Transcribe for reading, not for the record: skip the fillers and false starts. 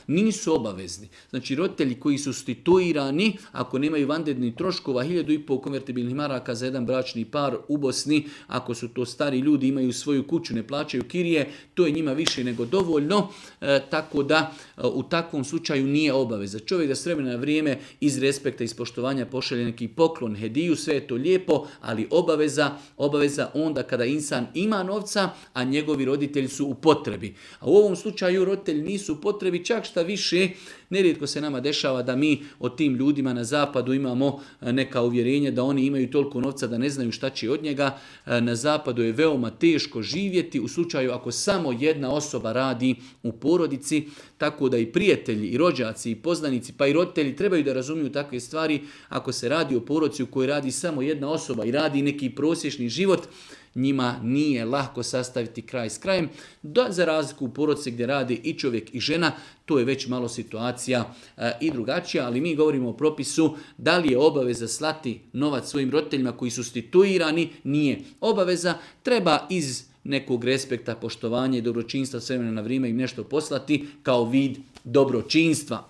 nisu obavezni. Znači roditelji koji su situirani, ako nemaju vanrednih troškova, 1.500 konvertibilnih maraka za jedan bračni par u Bosni, ako su to stari ljudi, imaju svoju kuću, ne plaćaju kirije, to je njima više nego dovoljno, tako da u takvom slučaju nije obaveza. Čovjek da s vremena na vrijeme iz respekta i poštovanja pošalje neki poklon, hediju, sve je to lijepo, ali obaveza onda kada insan ima novca, a njegovi roditelji su u potrebi. A u ovom slučaju roditelji nisu u potrebi, čak šta više, nerijetko se nama dešava da mi o tim ljudima na zapadu imamo neka uvjerenja da oni imaju toliko novca da ne znaju šta će od njega. Na zapadu je veoma teško živjeti u slučaju ako samo jedna osoba radi u porodici, tako da i prijatelji, i rođaci, i poznanici, pa i roditelji trebaju da razumiju takve stvari. Ako se radi o porodici u kojoj radi samo jedna osoba i radi neki prosječni život, njima nije lako sastaviti kraj s krajem. Za razliku u porodici gdje radi i čovjek i žena, to je već malo situacija i drugačija, ali mi govorimo o propisu da li je obaveza slati novac svojim roditeljima koji su situirani, nije obaveza, treba iz nekog respekta, poštovanja i dobročinstva s vremena na vrijeme im nešto poslati kao vid dobročinstva.